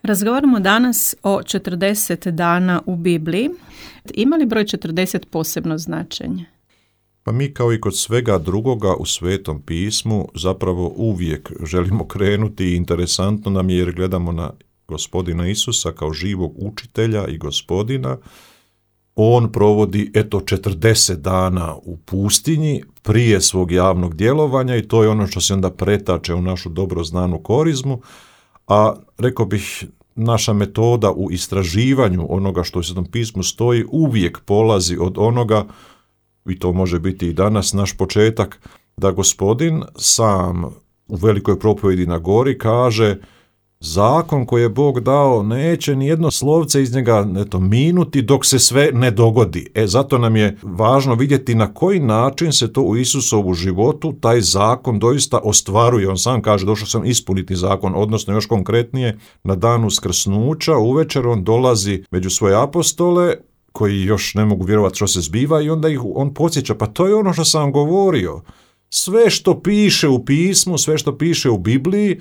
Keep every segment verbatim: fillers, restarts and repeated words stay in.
Razgovaramo danas o četrdeset dana u Bibliji. Ima li broj četrdeset posebno značenje? Pa mi kao i kod svega drugoga u Svetom pismu zapravo uvijek želimo krenuti i interesantno nam je jer gledamo na Gospodina Isusa kao živog učitelja i Gospodina. On provodi eto četrdeset dana u pustinji prije svog javnog djelovanja i to je ono što se onda pretače u našu dobro znanu korizmu, a rekao bih naša metoda u istraživanju onoga što u Svetom pismu stoji uvijek polazi od onoga, i to može biti i danas naš početak, da Gospodin sam u velikoj propovjedi na gori kaže zakon koji je Bog dao neće ni jedno slovce iz njega eto, minuti dok se sve ne dogodi. E, zato nam je važno vidjeti na koji način se to u Isusovu životu taj zakon doista ostvaruje. On sam kaže došao sam ispuniti zakon, odnosno još konkretnije na dan uskrsnuća uvečer on dolazi među svoje apostole koji još ne mogu vjerovati što se zbiva i onda ih on podsjeća, pa to je ono što sam govorio. Sve što piše u pismu, sve što piše u Bibliji,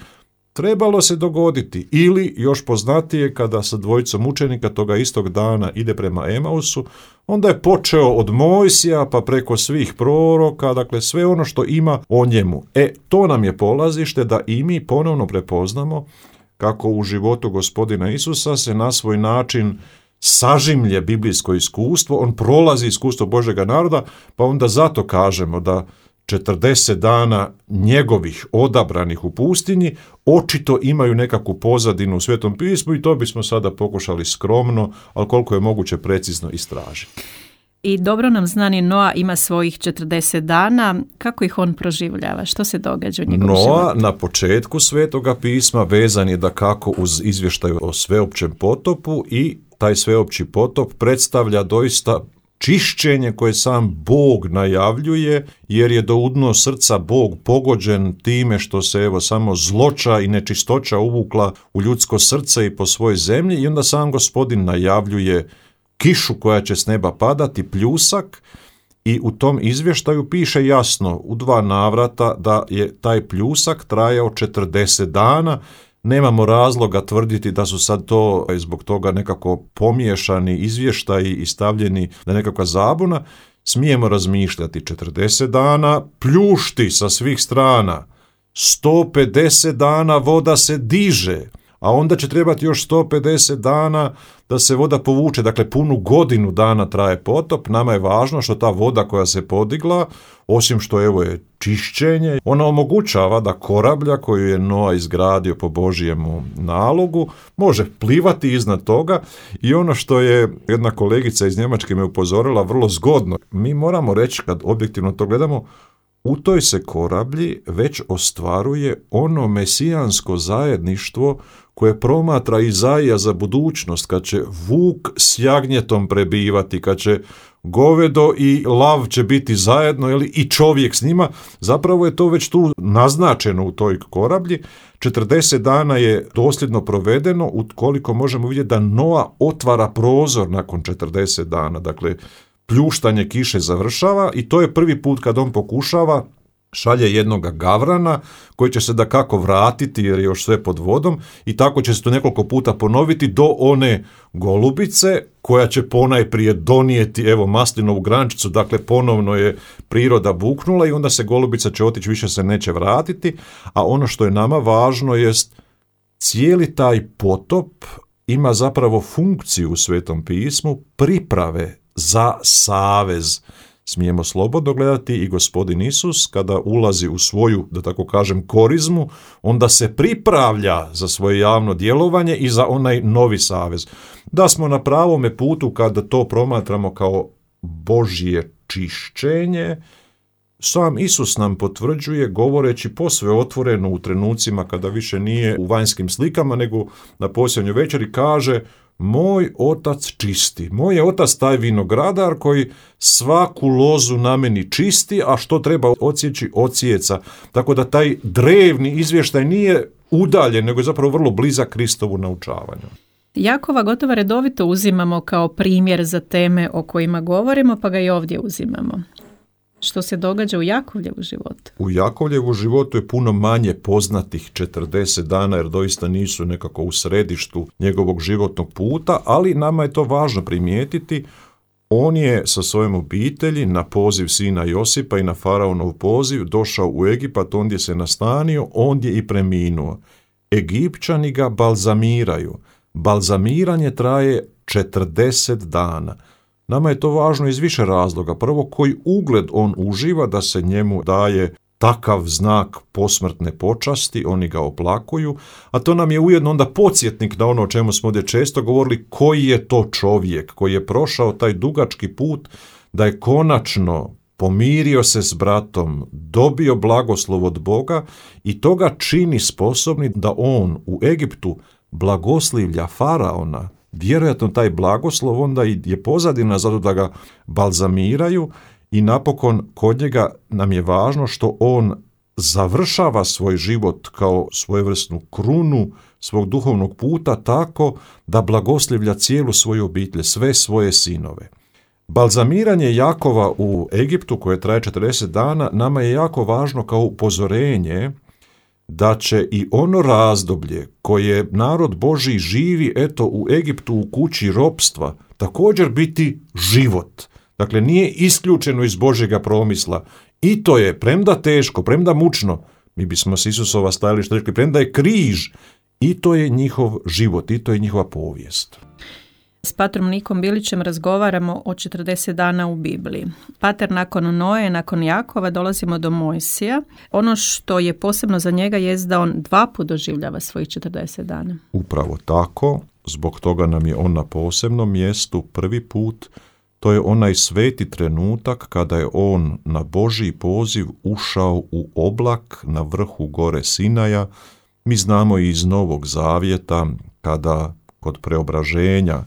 trebalo se dogoditi. Ili, još poznatije, kada sa dvojicom učenika toga istog dana ide prema Emausu, onda je počeo od Mojsija pa preko svih proroka, dakle sve ono što ima o njemu. E, to nam je polazište da i mi ponovno prepoznamo kako u životu Gospodina Isusa se na svoj način sažimlje biblijsko iskustvo, on prolazi iskustvo Božjega naroda, pa onda zato kažemo da četrdeset dana njegovih odabranih u pustinji očito imaju nekakvu pozadinu u Svetom pismu i to bismo sada pokušali skromno, ali koliko je moguće precizno istražiti. I dobro nam znani Noa ima svojih četrdeset dana. Kako ih on proživljava? Što se događa u njegovom životu? Noa na početku Svetoga pisma vezan je dakako uz izvještaj o sveopćem potopu i taj sveopći potop predstavlja doista čišćenje koje sam Bog najavljuje, jer je do udno srca Bog pogođen time što se evo samo zloća i nečistoća uvukla u ljudsko srce i po svojoj zemlji i onda sam Gospodin najavljuje kišu koja će s neba padati, pljusak, i u tom izvještaju piše jasno u dva navrata da je taj pljusak trajao četrdeset dana. Nemamo razloga tvrditi da su sad to zbog toga nekako pomiješani izvještaji i stavljeni na nekakva zabuna. Smijemo razmišljati četrdeset dana pljušti sa svih strana, sto pedeset dana voda se diže, a onda će trebati još sto pedeset dana da se voda povuče, dakle punu godinu dana traje potop. Nama je važno što ta voda koja se podigla, osim što evo je čišćenje, ona omogućava da korablja koju je Noa izgradio po Božjemu nalogu može plivati iznad toga i ono što je jedna kolegica iz Njemačke me upozorila vrlo zgodno, mi moramo reći kad objektivno to gledamo, u toj se korablji već ostvaruje ono mesijansko zajedništvo koje promatra Izaija za budućnost, kad će vuk s jagnjetom prebivati, kad će govedo i lav će biti zajedno ili i čovjek s njima, zapravo je to već tu naznačeno u toj korablji. četrdeset dana je dosljedno provedeno, ukoliko možemo vidjeti da Noa otvara prozor nakon četrdeset dana, dakle pljuštanje kiše završava i to je prvi put kad on pokušava, šalje jednoga gavrana koji će se dakako vratiti jer je još sve pod vodom i tako će se to nekoliko puta ponoviti do one golubice koja će ponajprije donijeti evo maslinovu grančicu, dakle ponovno je priroda buknula i onda se golubica će otići, više se neće vratiti, a ono što je nama važno jest cijeli taj potop ima zapravo funkciju u Svetom pismu priprave za savez. Smijemo slobodno gledati i Gospodin Isus kada ulazi u svoju, da tako kažem, korizmu, onda se pripravlja za svoje javno djelovanje i za onaj novi savez. Da smo na pravome putu kada to promatramo kao Božje čišćenje, sam Isus nam potvrđuje govoreći posve otvoreno u trenucima kada više nije u vanjskim slikama nego na posljednjoj večeri kaže moj otac čisti, moj je otac taj vinogradar koji svaku lozu na meni čisti, a što treba odsjeći odsjeca. Tako da taj drevni izvještaj nije udaljen, nego je zapravo vrlo blizak Kristovu naučavanju. Jakova gotovo redovito uzimamo kao primjer za teme o kojima govorimo, pa ga i ovdje uzimamo. Što se događa u Jakovljevu životu? U Jakovljevu životu je puno manje poznatih četrdeset dana, jer doista nisu nekako u središtu njegovog životnog puta, ali nama je to važno primijetiti. On je sa svojom obitelji na poziv sina Josipa i na faraonov poziv došao u Egipat, ondje se nastanio, ondje i preminuo. Egipćani ga balzamiraju. Balzamiranje traje četrdeset dana. Nama je to važno iz više razloga. Prvo, koji ugled on uživa da se njemu daje takav znak posmrtne počasti, oni ga oplakuju, a to nam je ujedno onda podsjetnik na ono o čemu smo ovdje često govorili, koji je to čovjek koji je prošao taj dugački put, da je konačno pomirio se s bratom, dobio blagoslov od Boga i to ga čini sposobni da on u Egiptu blagoslivlja faraona. Vjerojatno taj blagoslov onda je pozadina zato da ga balzamiraju i napokon kod njega nam je važno što on završava svoj život kao svojevrsnu krunu svog duhovnog puta tako da blagoslivlja cijelu svoju obitelj, sve svoje sinove. Balzamiranje Jakova u Egiptu koje traje četrdeset dana nama je jako važno kao upozorenje da će i ono razdoblje koje narod Božji živi eto u Egiptu u kući ropstva također biti život. Dakle, nije isključeno iz Božjega promisla. I to je, premda teško, premda mučno, mi bismo s Isusova stajališta rekli, premda je križ, i to je njihov život, i to je njihova povijest. S patrom Nikom Bilićem razgovaramo o četrdeset dana u Bibliji. Pater, nakon Noe, nakon Jakova dolazimo do Mojsija. Ono što je posebno za njega je da on dva put doživljava svojih četrdeset dana. Upravo tako, zbog toga nam je on na posebnom mjestu prvi put. To je onaj sveti trenutak kada je on na Božji poziv ušao u oblak na vrhu gore Sinaja. Mi znamo i iz Novog Zavjeta kada kod preobraženja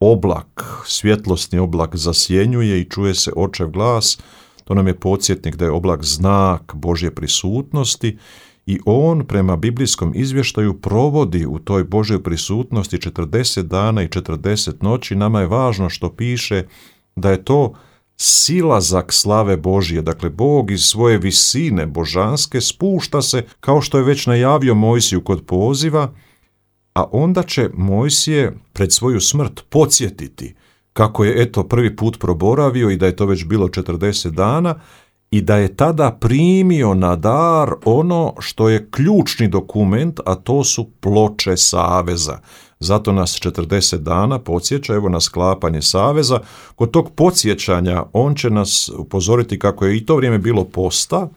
oblak, svjetlosni oblak zasjenjuje i čuje se očev glas. To nam je podsjetnik da je oblak znak Božje prisutnosti i on prema biblijskom izvještaju provodi u toj Božjoj prisutnosti četrdeset dana i četrdeset noći. Nama je važno što piše da je to silazak slave Božje. Dakle, Bog iz svoje visine božanske spušta se, kao što je već najavio Mojsiju kod poziva, a onda će Mojsije pred svoju smrt podsjetiti kako je eto prvi put proboravio i da je to već bilo četrdeset dana i da je tada primio na dar ono što je ključni dokument, a to su ploče saveza. Zato nas četrdeset dana podsjeća, evo na sklapanje saveza. Kod tog podsjećanja on će nas upozoriti kako je i to vrijeme bilo posta,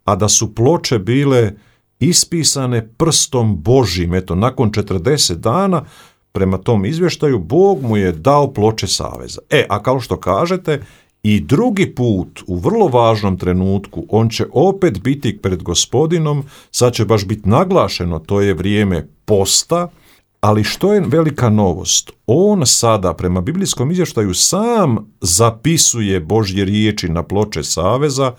a da su ploče bile ispisane prstom Božjim. Eto, nakon četrdeset dana, prema tom izvještaju, Bog mu je dao ploče saveza. E, a kao što kažete, i drugi put, u vrlo važnom trenutku, on će opet biti pred Gospodinom, sad će baš biti naglašeno, to je vrijeme posta, ali što je velika novost? On sada, prema biblijskom izvještaju, sam zapisuje Božje riječi na ploče saveza.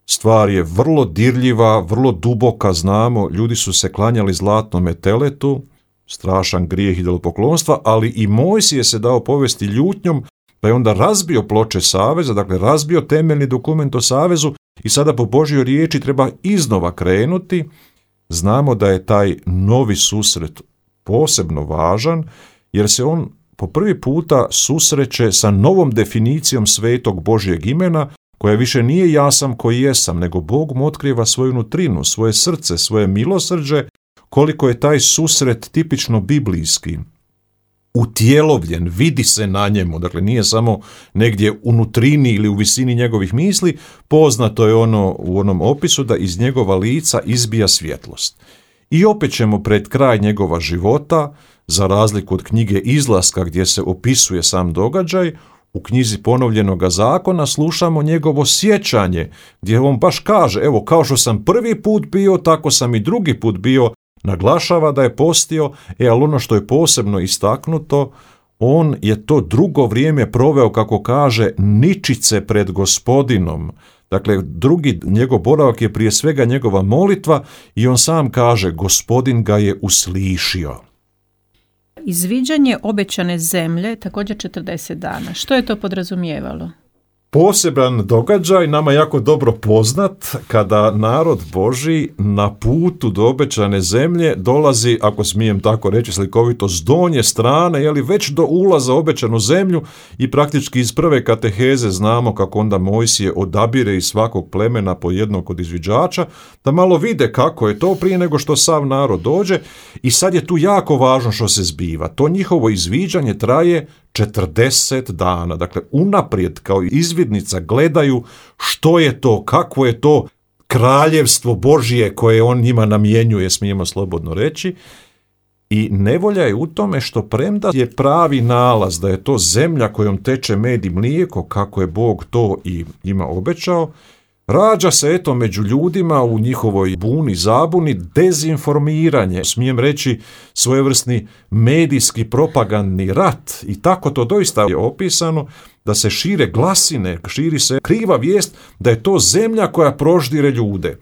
Stvar je vrlo dirljiva, vrlo duboka, znamo, ljudi su se klanjali zlatnome teletu, strašan grijeh idolopoklonstva, ali i Mojsije se dao povesti ljutnjom, pa je onda razbio ploče saveza, dakle razbio temeljni dokument o savezu i sada po Božjoj riječi treba iznova krenuti. Znamo da je taj novi susret posebno važan, jer se on po prvi puta susreće sa novom definicijom svetog Božjeg imena, koja više nije ja sam koji jesam, nego Bog mu otkriva svoju nutrinu, svoje srce, svoje milosrđe, koliko je taj susret tipično biblijski, utjelovljen, vidi se na njemu, dakle nije samo negdje u nutrini ili u visini njegovih misli, poznato je ono u onom opisu da iz njegova lica izbija svjetlost. I opet ćemo pred kraj njegova života, za razliku od knjige Izlaska gdje se opisuje sam događaj, u knjizi Ponovljenoga zakona slušamo njegovo sjećanje, gdje on baš kaže, evo kao što sam prvi put bio, tako sam i drugi put bio, naglašava da je postio, e, ali ono što je posebno istaknuto, on je to drugo vrijeme proveo, kako kaže, ničice pred Gospodinom. Dakle, drugi njegov boravak je prije svega njegova molitva i on sam kaže, Gospodin ga je uslišio. Izviđanje obećane zemlje također četrdeset dana. Što je to podrazumijevalo? poseban događaj, nama jako dobro poznat, kada narod Božji na putu do obećane zemlje dolazi, ako smijem tako reći slikovito, s donje strane, jeli već do ulaza u obećanu zemlju, i praktički iz prve kateheze znamo kako onda Mojsije odabire iz svakog plemena po jednog od izviđača, da malo vide kako je to prije nego što sav narod dođe. I sad je tu jako važno što se zbiva. To njihovo izviđanje traje četrdeset dana. Dakle, unaprijed kao izvidnica gledaju što je to, kakvo je to kraljevstvo Božje koje on njima namjenjuje, smijemo slobodno reći. I nevolja je u tome što premda je pravi nalaz da je to zemlja kojom teče med i mlijeko, kako je Bog to i ima obećao, rađa se eto među ljudima u njihovoj buni, zabuni, dezinformiranje, smijem reći svojevrsni medijski propagandni rat, i tako to doista je opisano, da se šire glasine, širi se kriva vijest da je to zemlja koja proždire ljude.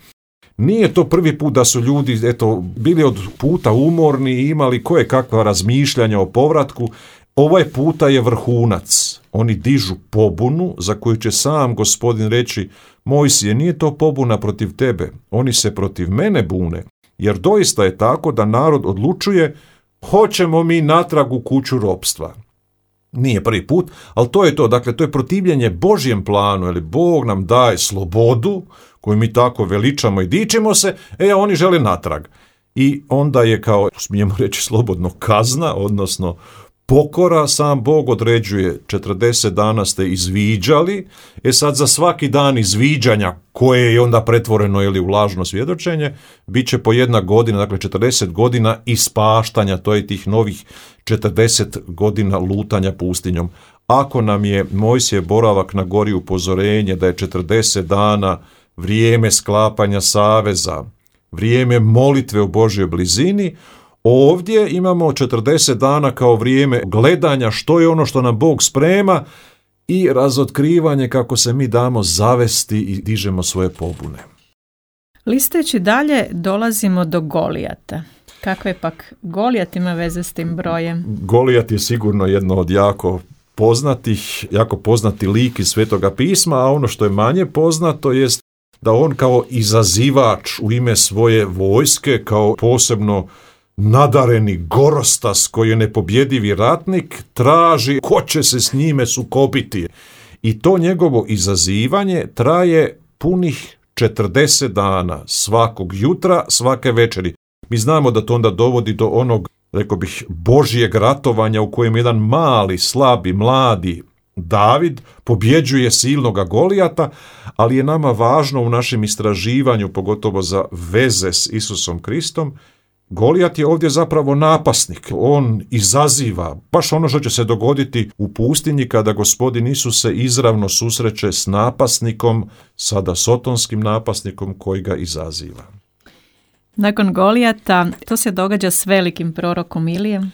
Nije to prvi put da su ljudi eto bili od puta umorni i imali koje kakva razmišljanja o povratku. Ovaj puta je vrhunac. Oni dižu pobunu za koju će sam Gospodin reći: Mojsije, nije to pobuna protiv tebe, oni se protiv mene bune, jer doista je tako da narod odlučuje hoćemo mi natrag u kuću ropstva. Nije prvi put, ali to je to, dakle to je protivljenje Božjem planu, jer Bog nam daje slobodu koju mi tako veličamo i dičimo se, e oni žele natrag. I onda je, kao smijemo reći slobodno, kazna, odnosno pokora, sam Bog određuje četrdeset dana ste izviđali, e sad za svaki dan izviđanja koje je onda pretvoreno ili u lažno svjedočenje, bit će po jedna godina, dakle četrdeset godina ispaštanja, to je tih novih četrdeset godina lutanja pustinjom. Ako nam je Mojsije boravak na gori upozorenje da je četrdeset dana vrijeme sklapanja saveza, vrijeme molitve u Božjoj blizini, ovdje imamo četrdeset dana kao vrijeme gledanja što je ono što nam Bog sprema i razotkrivanje kako se mi damo zavesti i dižemo svoje pobune. Listeći dalje dolazimo do Golijata. Kakve pak Golijat ima veze s tim brojem? Golijat je sigurno jedno od jako poznatih, jako poznati lik iz Svetoga pisma, a ono što je manje poznato jest da on kao izazivač u ime svoje vojske, kao posebno nadareni gorostas koji je nepobjedivi ratnik, traži ko će se s njime sukobiti. I to njegovo izazivanje traje punih četrdeset dana, svakog jutra, svake večeri. Mi znamo da to onda dovodi do onog, rekao bih, Božjeg ratovanja u kojem jedan mali, slabi, mladi David pobjeđuje silnoga Golijata, ali je nama važno u našem istraživanju, pogotovo za veze s Isusom Kristom, Golijat je ovdje zapravo napasnik. On izaziva baš ono što će se dogoditi u pustinji kada Gospodin Isus se izravno susreće s napasnikom, sada sotonskim napasnikom koji ga izaziva. Nakon Golijata, to se događa s velikim prorokom Ilijem.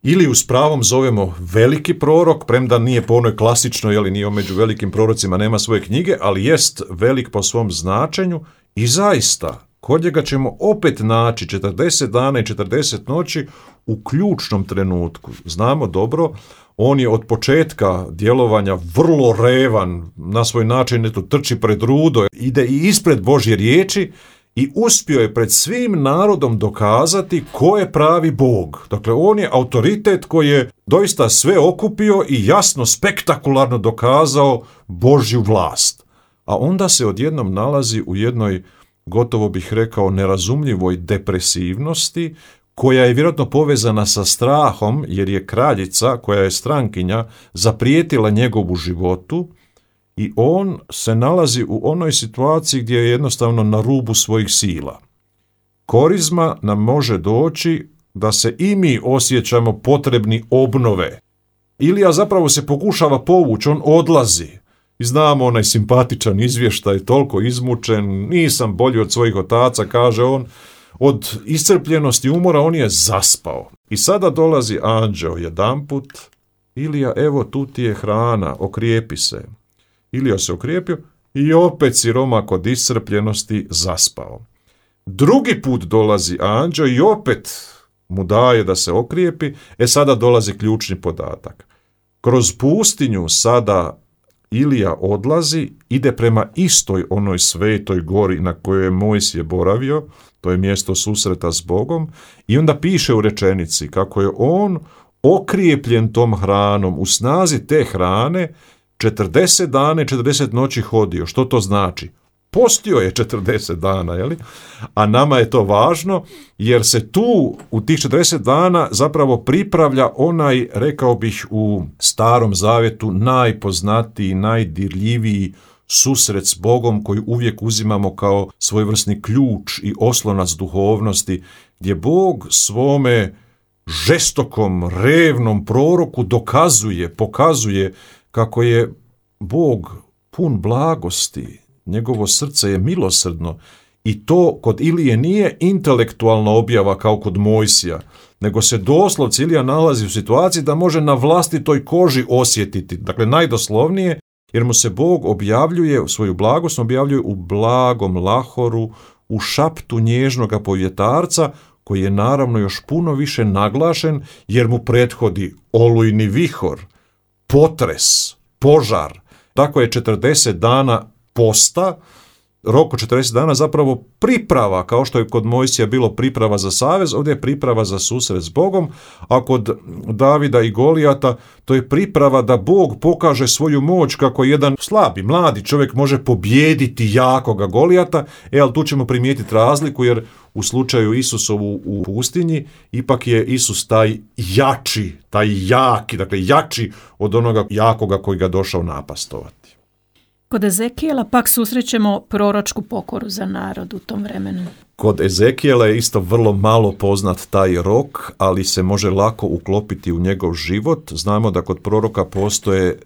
Ili s pravom zovemo veliki prorok, premda nije po onoj klasičnoj, jeli nije među velikim prorocima, nema svoje knjige, ali jest velik po svom značenju i zaista kod njega ćemo opet naći četrdeset dana i četrdeset noći u ključnom trenutku. Znamo dobro, on je od početka djelovanja vrlo revan, na svoj način eto, trči pred rudo, ide i ispred Božje riječi i uspio je pred svim narodom dokazati ko je pravi Bog. Dakle, on je autoritet koji je doista sve okupio i jasno, spektakularno dokazao Božju vlast. A onda se odjednom nalazi u jednoj, gotovo bih rekao, nerazumljivoj depresivnosti, koja je vjerojatno povezana sa strahom, jer je kraljica, koja je strankinja, zaprijetila njegovu životu i on se nalazi u onoj situaciji gdje je jednostavno na rubu svojih sila. Korizma nam može doći da se i mi osjećamo potrebni obnove. Ilija zapravo se pokušava povući, on odlazi. I znamo onaj simpatičan izvještaj, toliko izmučen, nisam bolji od svojih otaca, kaže on, od iscrpljenosti umora on je zaspao. I sada dolazi anđeo jedanput, Ilija, evo tu ti je hrana, okrijepi se. Ilija se okrijepio i opet siromak od iscrpljenosti zaspao. Drugi put dolazi anđeo i opet mu daje da se okrijepi, e sada dolazi ključni podatak. Kroz pustinju sada Ilija odlazi, ide prema istoj onoj svetoj gori na kojoj je Mojsije boravio, to je mjesto susreta s Bogom, i onda piše u rečenici kako je on okrijepljen tom hranom, u snazi te hrane, četrdeset dana i četrdeset noći hodio. Što to znači? Postio je četrdeset dana, je li? A nama je to važno jer se tu u tih četrdeset dana zapravo pripravlja onaj, rekao bih u Starom Zavjetu, najpoznatiji, najdirljiviji susret s Bogom koji uvijek uzimamo kao svojevrsni ključ i oslonac duhovnosti, gdje Bog svome žestokom, revnom proroku dokazuje, pokazuje kako je Bog pun blagosti, njegovo srce je milosrdno i to kod Ilije nije intelektualna objava kao kod Mojsija, nego se doslovce Ilija nalazi u situaciji da može na vlastitoj koži osjetiti, dakle najdoslovnije, jer mu se Bog objavljuje, svoju blagost objavljuje u blagom lahoru, u šaptu nježnoga povjetarca, koji je naravno još puno više naglašen, jer mu prethodi olujni vihor, potres, požar. Tako je četrdeset dana posta, rok od četrdeset dana zapravo priprava, kao što je kod Mojsija bilo priprava za savez, ovdje je priprava za susret s Bogom, a kod Davida i Golijata to je priprava da Bog pokaže svoju moć kako jedan slabi, mladi čovjek može pobijediti jakoga Golijata, e, ali tu ćemo primijetiti razliku, jer u slučaju Isusovu u pustinji ipak je Isus taj jači, taj jaki, dakle jači od onoga jakoga koji ga došao napastovati. Kod Ezekijela pak susrećemo proročku pokoru za narod u tom vremenu. Kod Ezekijela je isto vrlo malo poznat taj rok, ali se može lako uklopiti u njegov život. Znamo da kod proroka postoje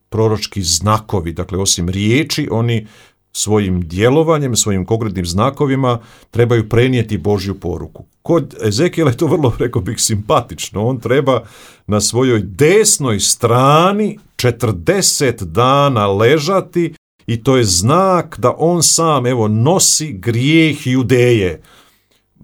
proročki znakovi, dakle osim riječi, oni svojim djelovanjem, svojim konkretnim znakovima trebaju prenijeti Božju poruku. Kod Ezekijela je to vrlo, rekao bih, simpatično. On treba na svojoj desnoj strani četrdeset dana ležati i to je znak da on sam, evo, nosi grijeh Judeje.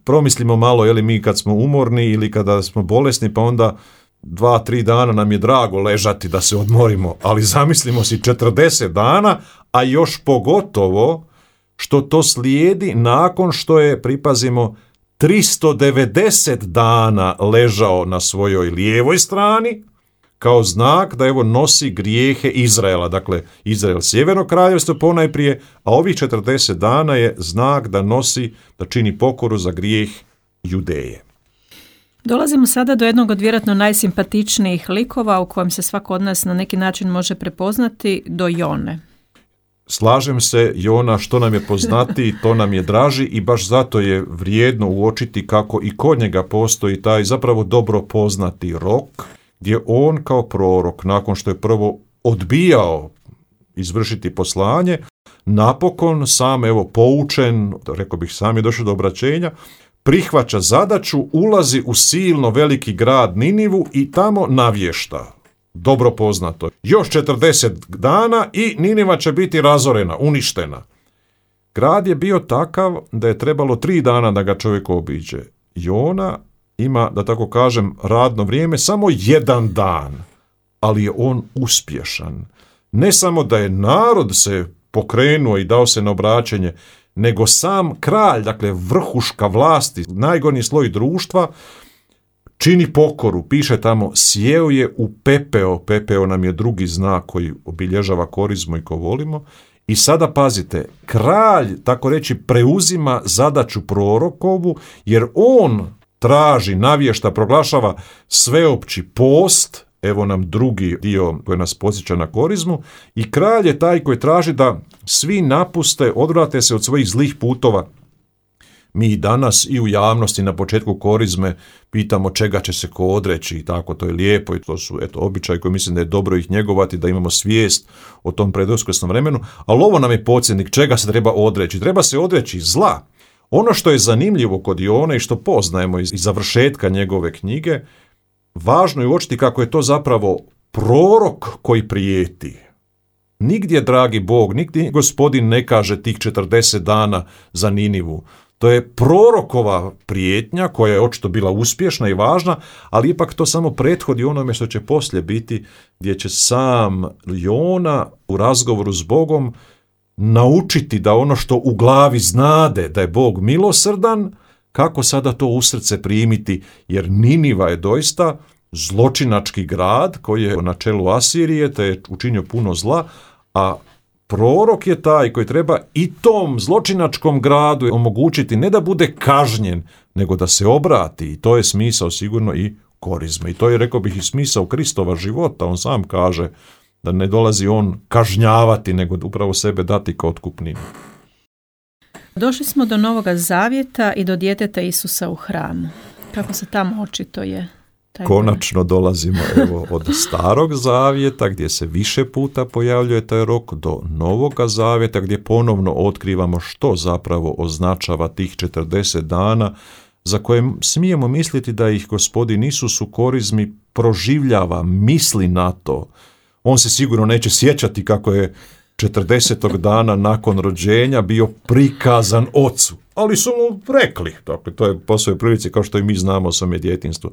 Promislimo malo, je li mi kad smo umorni ili kada smo bolesni, pa onda dva, tri dana nam je drago ležati da se odmorimo, ali zamislimo si četrdeset dana, a još pogotovo što to slijedi nakon što je, pripazimo, tristo devedeset dana ležao na svojoj lijevoj strani, kao znak da evo nosi grijehe Izraela, dakle Izrael sjeverno kraljevstvo ponajprije, a ovih četrdeset dana je znak da nosi, da čini pokoru za grijeh Judeje. Dolazimo sada do jednog od vjerojatno najsimpatičnijih likova u kojem se svako od nas na neki način može prepoznati, do Jone. Slažem se, Jona što nam je poznatiji, to nam je draži i baš zato je vrijedno uočiti kako i kod njega postoji taj zapravo dobro poznati rok, gdje on kao prorok, nakon što je prvo odbijao izvršiti poslanje, napokon sam, evo, poučen, rekao bih sam je došao do obraćenja, prihvaća zadaću, ulazi u silno veliki grad Ninivu i tamo navješta. Dobro poznato. Još četrdeset dana i Niniva će biti razorena, uništena. Grad je bio takav da je trebalo tri dana da ga čovjek obiđe. Jona ima, da tako kažem, radno vrijeme samo jedan dan, ali je on uspješan. Ne samo da je narod se pokrenuo i dao se na obraćenje, nego sam kralj, dakle vrhuška vlasti, najgornji sloj društva, čini pokoru. Piše tamo, sjeo je u pepeo, pepeo nam je drugi znak koji obilježava korizmu i ko volimo. I sada pazite, kralj, tako reći, preuzima zadaću prorokovu, jer on traži, navješta, proglašava sveopći post, evo nam drugi dio koji nas podsjeća na korizmu, i kralj je taj koji traži da svi napuste, odvrate se od svojih zlih putova. Mi danas i u javnosti na početku korizme pitamo čega će se ko odreći i tako, to je lijepo i to su eto običaji koji mislim da je dobro ih njegovati, da imamo svijest o tom preduskrsnom vremenu, ali ovo nam je podsjetnik čega se treba odreći. Treba se odreći zla. Ono što je zanimljivo kod Jone i što poznajemo iz završetka njegove knjige, važno je uočiti kako je to zapravo prorok koji prijeti. Nigdje, dragi Bog, nigdje Gospodin ne kaže tih četrdeset dana za Ninivu. To je prorokova prijetnja koja je očito bila uspješna i važna, ali ipak to samo prethodi onome što će poslije biti, gdje će sam Jona u razgovoru s Bogom naučiti da ono što u glavi znade da je Bog milosrdan, kako sada to u srce primiti, jer Niniva je doista zločinački grad koji je na čelu Asirije, te je učinio puno zla, a prorok je taj koji treba i tom zločinačkom gradu omogućiti ne da bude kažnjen, nego da se obrati, i to je smisao sigurno i korizme. I to je, rekao bih, i smisao Kristova života. On sam kaže da ne dolazi on kažnjavati, nego upravo sebe dati kao otkupninu. Došli smo do Novoga Zavjeta i do djeteta Isusa u hramu. Kako se tamo očituje? Konačno dolazimo evo od Starog Zavjeta, gdje se više puta pojavljuje taj rok, do Novoga Zavjeta, gdje ponovno otkrivamo što zapravo označava tih četrdeset dana, za koje smijemo misliti da ih Gospodin Isus u korizmi proživljava, misli na to. On se sigurno neće sjećati kako je četrdesetog dana nakon rođenja bio prikazan ocu, ali su mu rekli, dakle, to je po svojoj prilici kao što i mi znamo o svome djetinjstvu.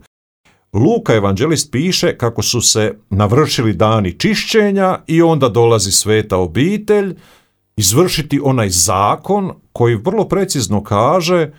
Luka evanđelist piše kako su se navršili dani čišćenja i onda dolazi sveta obitelj izvršiti onaj zakon koji vrlo precizno kaže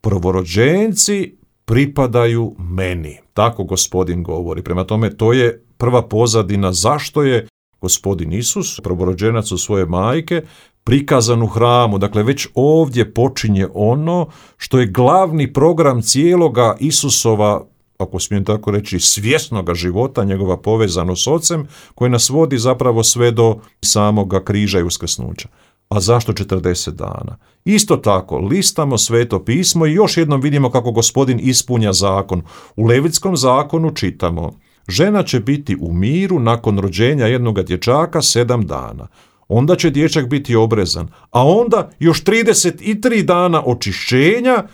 prvorođenci pripadaju meni. Tako Gospodin govori. Prema tome, to je prva pozadina zašto je Gospodin Isus, prvorođenac u svoje majke, prikazan u hramu. Dakle, već ovdje počinje ono što je glavni program cijeloga Isusova, ako smijem tako reći, svjesnoga života, njegova povezanost s Ocem, koji nas vodi zapravo sve do samoga križa i uskrsnuća. A zašto četrdeset dana? Isto tako, listamo Sveto pismo i još jednom vidimo kako Gospodin ispunja zakon. U Levitskom zakonu čitamo: žena će biti u miru nakon rođenja jednoga dječaka sedam dana. Onda će dječak biti obrezan, a onda još trideset tri dana očišćenja,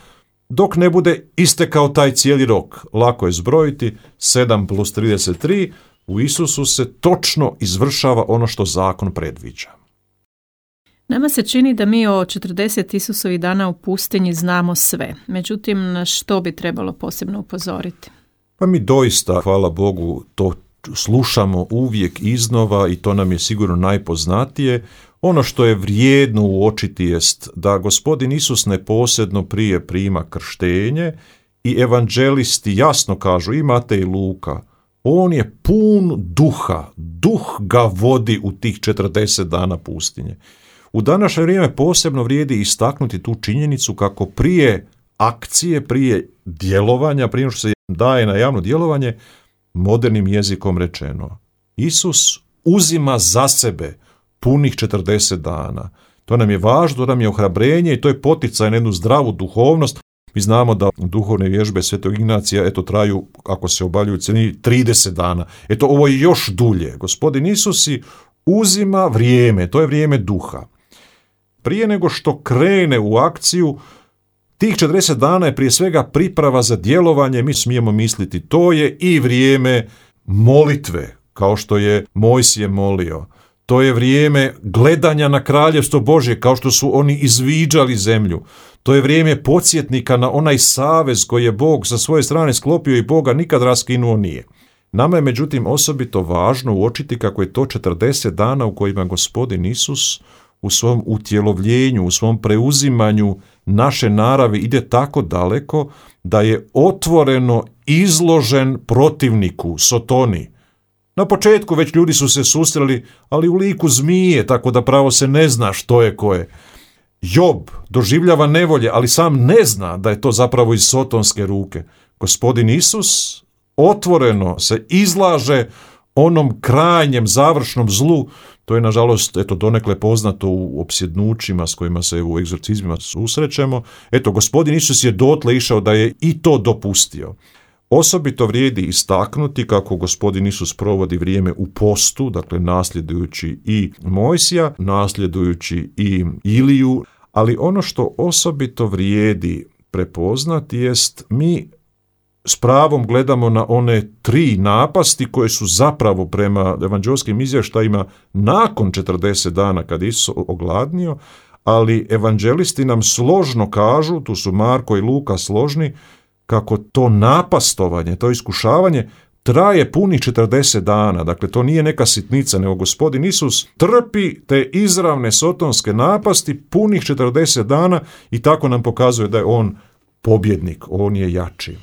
dok ne bude istekao taj cijeli rok. Lako je zbrojiti, sedam plus trideset tri, u Isusu se točno izvršava ono što zakon predviđa. Nama se čini da mi o četrdeset Isusovih dana u pustinji znamo sve. Međutim, na što bi trebalo posebno upozoriti? Pa mi doista, hvala Bogu, to slušamo uvijek iznova i to nam je sigurno najpoznatije. Ono što je vrijedno uočiti jest da Gospodin Isus neposredno prije prima krštenje i evanđelisti jasno kažu, i Matej i Luka, on je pun duha, duh ga vodi u tih četrdeset dana pustinje. U današnje vrijeme posebno vrijedi istaknuti tu činjenicu kako prije akcije, prije djelovanja, prije što se daje na javno djelovanje, modernim jezikom rečeno, Isus uzima za sebe punih četrdeset dana. To nam je važno, to nam je ohrabrenje i to je poticaj na jednu zdravu duhovnost. Mi znamo da duhovne vježbe Svetog Ignacija eto traju, ako se obavljaju u cjelini, trideset dana. Eto, ovo je još dulje. Gospodin Isus si uzima vrijeme, to je vrijeme duha. Prije nego što krene u akciju, tih četrdeset dana je prije svega priprava za djelovanje. Mi smijemo misliti, to je i vrijeme molitve, kao što je Mojsije molio. To je vrijeme gledanja na kraljevstvo Božje, kao što su oni izviđali zemlju. To je vrijeme podsjetnika na onaj savez koji je Bog sa svoje strane sklopio i Boga nikad raskinuo nije. Nama je međutim osobito važno uočiti kako je to četrdeset dana u kojima Gospodin Isus u svom utjelovljenju, u svom preuzimanju naše naravi ide tako daleko da je otvoreno izložen protivniku, Sotoni. Na početku već ljudi su se susreli, ali u liku zmije, tako da pravo se ne zna što je ko je. Job doživljava nevolje, ali sam ne zna da je to zapravo iz sotonske ruke. Gospodin Isus otvoreno se izlaže onom krajnjem, završnom zlu. To je, nažalost, eto, donekle poznato u opsjednućima s kojima se u egzorcizmima susrećemo. Eto, Gospodin Isus je dotle išao da je i to dopustio. Osobito vrijedi istaknuti kako Gospodin Isus provodi vrijeme u postu, dakle nasljedujući i Mojsija, nasljedujući i Iliju, ali ono što osobito vrijedi prepoznati jest mi s pravom gledamo na one tri napasti koje su zapravo prema evanđelskim izvještajima nakon četrdeset dana kad Isus ogladnio, ali evanđelisti nam složno kažu, tu su Marko i Luka složni, kako to napastovanje, to iskušavanje traje punih četrdeset dana. Dakle, to nije neka sitnica, nego Gospodin Isus trpi te izravne sotonske napasti punih četrdeset dana i tako nam pokazuje da je on pobjednik, on je jači.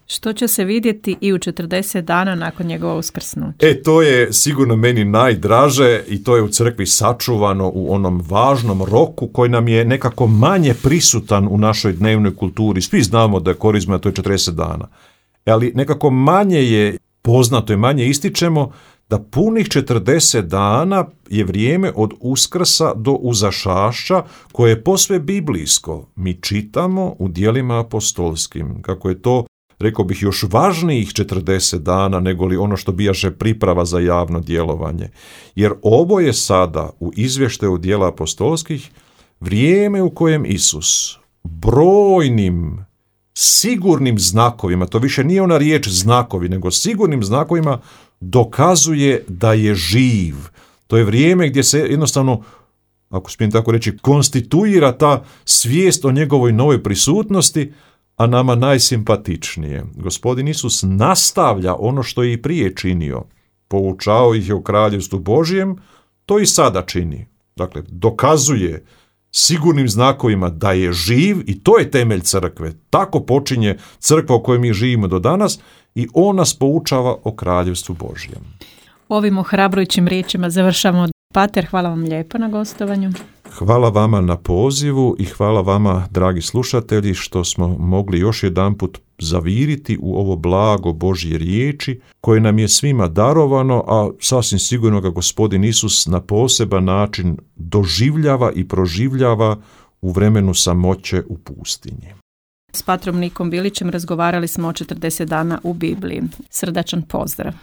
Što će se vidjeti i u četrdeset dana nakon njegova uskrsnuća? E, to je sigurno meni najdraže i to je u crkvi sačuvano u onom važnom roku koji nam je nekako manje prisutan u našoj dnevnoj kulturi. Svi znamo da je korizma, to je četrdeset dana. Ali nekako manje je poznato i manje ističemo da punih četrdeset dana je vrijeme od Uskrsa do uzašašća koje je posve biblijsko. Mi čitamo u djelima apostolskim kako je to, rekao bih, još važnijih četrdeset dana nego li ono što bijaše priprava za javno djelovanje. Jer ovo je sada u izvještaju djela apostolskih vrijeme u kojem Isus brojnim sigurnim znakovima, to više nije ona riječ znakovi, nego sigurnim znakovima dokazuje da je živ. To je vrijeme gdje se jednostavno, ako smijem tako reći, konstituira ta svijest o njegovoj novoj prisutnosti, a nama najsimpatičnije. Gospodin Isus nastavlja ono što je i prije činio. Poučao ih je o kraljevstvu Božjem, to i sada čini. Dakle, dokazuje sigurnim znakovima da je živ i to je temelj crkve. Tako počinje crkva u kojoj mi živimo do danas i on nas poučava o kraljevstvu Božjem. Ovim ohrabrujućim riječima završamo. Pater, hvala vam lijepo na gostovanju. Hvala vama na pozivu i hvala vama, dragi slušatelji, što smo mogli još jedanput zaviriti u ovo blago Božje riječi koje nam je svima darovano, a sasvim sigurno ga Gospodin Isus na poseban način doživljava i proživljava u vremenu samoće u pustinji. S patrom Nikom Bilićem razgovarali smo o četrdeset dana u Bibliji. Srdačan pozdrav.